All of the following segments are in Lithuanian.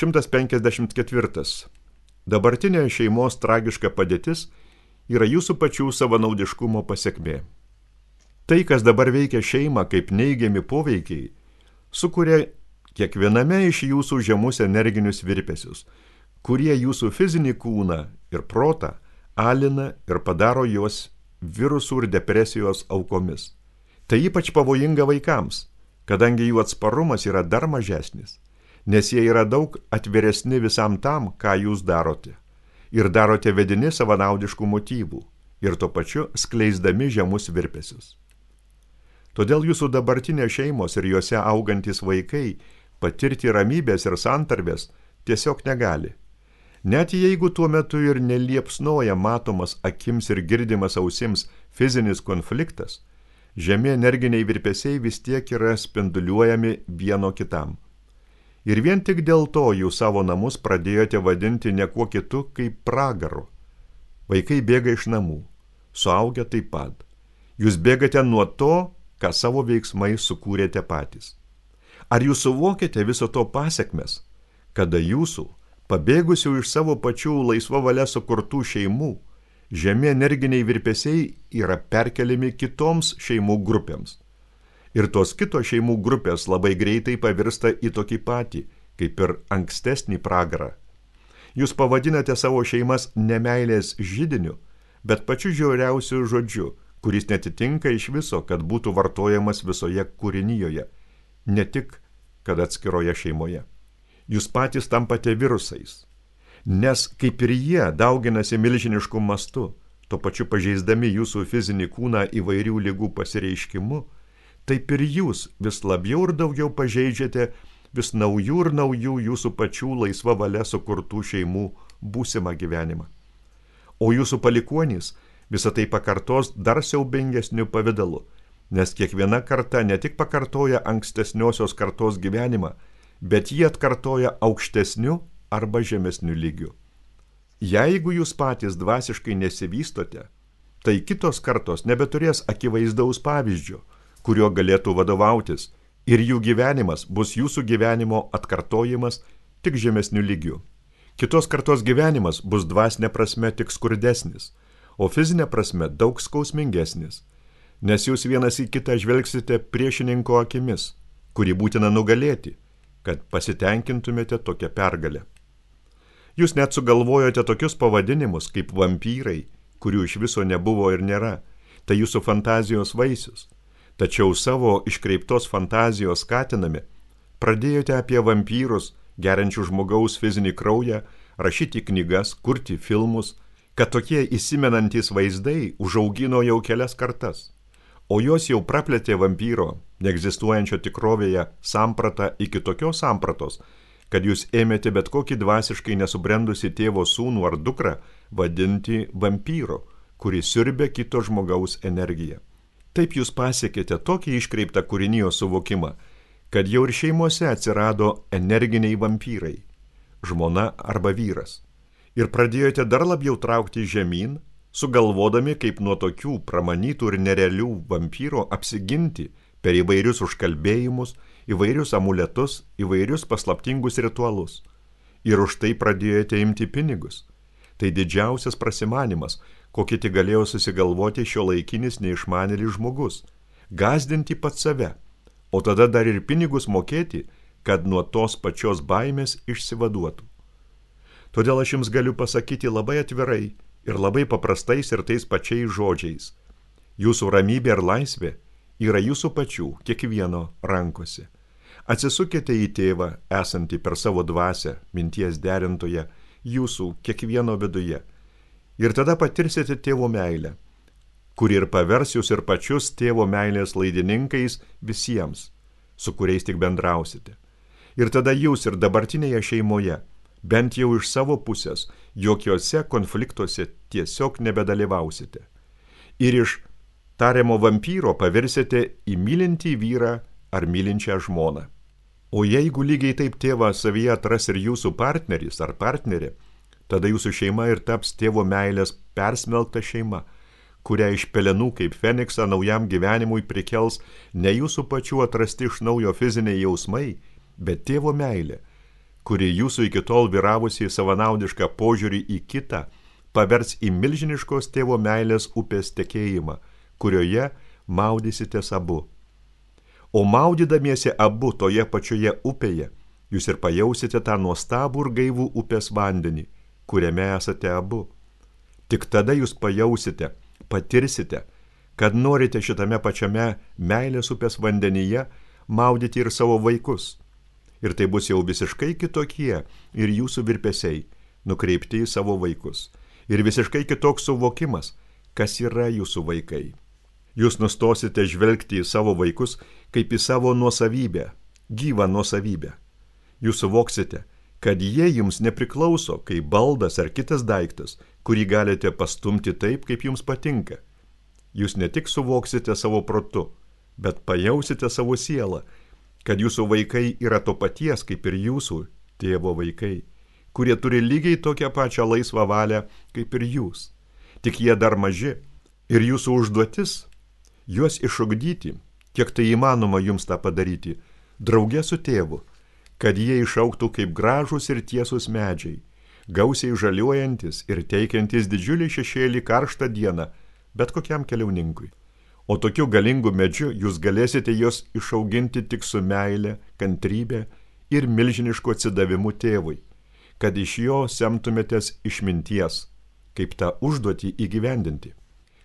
154. Dabartinė šeimos tragiška padėtis yra jūsų pačių savanaudiškumo pasekmė. Tai, kas dabar veikia šeimą kaip neigiami poveikiai, sukuria kiekviename iš jūsų žemus energinius virpesius, kurie jūsų fizinį kūną ir protą alina ir padaro juos virusų ir depresijos aukomis. Tai ypač pavojinga vaikams, kadangi jų atsparumas yra dar mažesnis, nes jie yra daug atviresni visam tam, ką jūs darote, ir darote vedini savanaudiškų motyvų, ir tuo pačiu skleisdami žemus virpesius. Todėl jūsų dabartinės šeimos ir juose augantys vaikai patirti ramybės ir santarvės tiesiog negali. Net jeigu tuo metu ir neliepsnoja matomas akims ir girdimas ausims fizinis konfliktas, žemi energiniai virpesiai vis tiek yra spinduliuojami vieno kitam. Ir vien tik dėl to jūs savo namus pradėjote vadinti ne kuo kitu kaip pragaru. Vaikai bėga iš namų, suaugę taip pat. Jūs bėgate nuo to, ką savo veiksmais sukūrėte patys. Ar jūs suvokėte viso to pasekmes, kada jūsų, pabėgusių iš savo pačių laisva valia sukurtų šeimų, žemi energiniai virpesiai yra perkeliami kitoms šeimų grupėms. Ir tos kitos šeimų grupės labai greitai pavirsta į tokį patį, kaip ir ankstesnį pragarą. Jūs pavadinate savo šeimas nemeilės židiniu, bet pačiu žiauriausiu žodžiu, kuris netitinka iš viso, kad būtų vartojamas visoje kūrinijoje, ne tik, kad atskiroje šeimoje. Jūs patys tampate virusais, nes kaip ir jie dauginasi milžinišku mastu, tuo pačiu pažeisdami jūsų fizinį kūną įvairių ligų pasireiškimu, taip ir jūs vis labiau ir daugiau pažeidžiate vis naujų ir naujų jūsų pačių laisva valia sukurtų šeimų būsimą gyvenimą. O jūsų palikuonys visą tai pakartos dar siaubingesniu pavidalu, nes kiekviena karta ne tik pakartoja ankstesniosios kartos gyvenimą, bet jį atkartoja aukštesniu arba žemesniu lygiu. Jeigu jūs patys dvasiškai nesivystote, tai kitos kartos nebeturės akivaizdaus pavyzdžio, kuriuo galėtų vadovautis, ir jų gyvenimas bus jūsų gyvenimo atkartojimas tik žemesniu lygiu. Kitos kartos gyvenimas bus dvasinė prasme tik skurdesnis, o fizinė prasme daug skausmingesnis, nes jūs vienas į kitą žvelgsite priešininko akimis, kurį būtina nugalėti, kad pasitenkintumėte tokią pergalę. Jūs net sugalvojote tokius pavadinimus kaip vampyrai, kurių iš viso nebuvo ir nėra, tai jūsų fantazijos vaisius. Tačiau savo iškreiptos fantazijos skatinami pradėjote apie vampyrus, geriančių žmogaus fizinį kraują, rašyti knygas, kurti filmus, kad tokie įsimenantys vaizdai užaugino jau kelias kartas, o jos jau praplėtė vampyro, neegzistuojančio tikrovėje sampratą iki tokios sampratos, kad jūs ėmėte bet kokį dvasiškai nesubrendusi tėvo sūnų ar dukrą vadinti vampyru, kuris siurbia kito žmogaus energiją. Taip jūs pasiekėte tokį iškreiptą kūrinijos suvokimą, kad jau ir šeimose atsirado energiniai vampyrai, žmona arba vyras, ir pradėjote dar labiau traukti žemyn, sugalvodami, kaip nuo tokių pramanytų ir nerealių vampyro apsiginti per įvairius užkalbėjimus, įvairius amuletus, įvairius paslaptingus ritualus. Ir už tai pradėjote imti pinigus. Tai didžiausias prasimanimas, kokį tik galėjo susigalvoti šiuolaikinis neišmanėlis žmogus, gąsdinti pats save, o tada dar ir pinigus mokėti, kad nuo tos pačios baimės išsivaduotų. Todėl aš jums galiu pasakyti labai atvirai ir labai paprastais ir tais pačiais žodžiais. Jūsų ramybė ir laisvė yra jūsų pačių, kiekvieno rankose. Atsisukite į tėvą, esantį per savo dvasią, minties derintoje, jūsų kiekvieno viduje. Ir tada patirsite tėvo meilę, kuri ir pavers jūs ir pačius tėvo meilės laidininkais visiems, su kuriais tik bendrausite. Ir tada jūs ir dabartinėje šeimoje, bent jau iš savo pusės, jokiuose konfliktuose tiesiog nebedalyvausite. Ir iš tariamo vampyro pavirsite į mylintį vyrą ar mylinčią žmoną. O jeigu lygiai taip tėvą savyje atras ir jūsų partneris ar partnerė, tada jūsų šeima ir taps tėvo meilės persmelkta šeima, kurią iš pelenų kaip Feniksą naujam gyvenimui prikels ne jūsų pačių atrasti iš naujo fiziniai jausmai, bet tėvo meilė, kuri jūsų iki tol vyravusiai savanaudišką požiūrį į kitą, pavers į milžiniškos tėvo meilės upės tekėjimą, kurioje maudysitės abu. O maudydamiesi abu toje pačioje upėje, jūs ir pajausite tą nuostabų ir gaivų upės vandenį, kuriame esate abu. Tik tada jūs pajausite, patirsite, kad norite šitame pačiame meilės upės vandenyje maudyti ir savo vaikus. Ir tai bus jau visiškai kitokie ir jūsų virpesiai, nukreipti į savo vaikus. Ir visiškai kitoks suvokimas, kas yra jūsų vaikai. Jūs nustosite žvelgti į savo vaikus kaip į savo nuosavybę, gyvą nuosavybę. Jūs suvoksite, kad jie jums nepriklauso kaip baldas ar kitas daiktas, kurį galite pastumti taip, kaip jums patinka. Jūs ne tik suvoksite savo protu, bet pajausite savo sielą, kad jūsų vaikai yra to paties kaip ir jūsų tėvo vaikai, kurie turi lygiai tokią pačią laisvą valią kaip ir jūs. Tik jie dar maži ir jūsų užduotis juos išugdyti, kiek tai įmanoma jums tą padaryti, drauge su tėvu, kad jie išaugtų kaip gražūs ir tiesūs medžiai, gausiai žaliuojantis ir teikiantis didžiulį šešėlį karštą dieną bet kokiam keliauninkui. O tokiu galingu medžiu jūs galėsite juos išauginti tik su meile, kantrybe ir milžinišku atsidavimu tėvui, kad iš jo semtumėtės išminties, kaip tą užduotį įgyvendinti.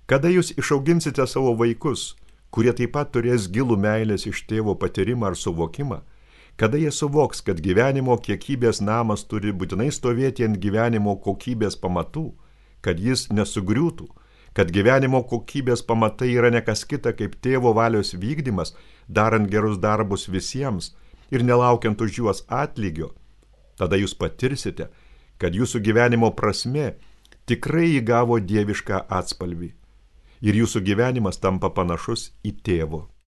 Kada jūs išauginsite savo vaikus, kurie taip pat turės gilų meilės iš tėvo patyrimą ar suvokimą, kada jie suvoks, kad gyvenimo kiekybės namas turi būtinai stovėti ant gyvenimo kokybės pamatų, kad jis nesugriūtų, kad gyvenimo kokybės pamatai yra ne kas kita kaip tėvo valios vykdymas, darant gerus darbus visiems ir nelaukiant už juos atlygio, tada jūs patirsite, kad jūsų gyvenimo prasmė tikrai įgavo dievišką atspalvį ir jūsų gyvenimas tampa panašus į tėvo.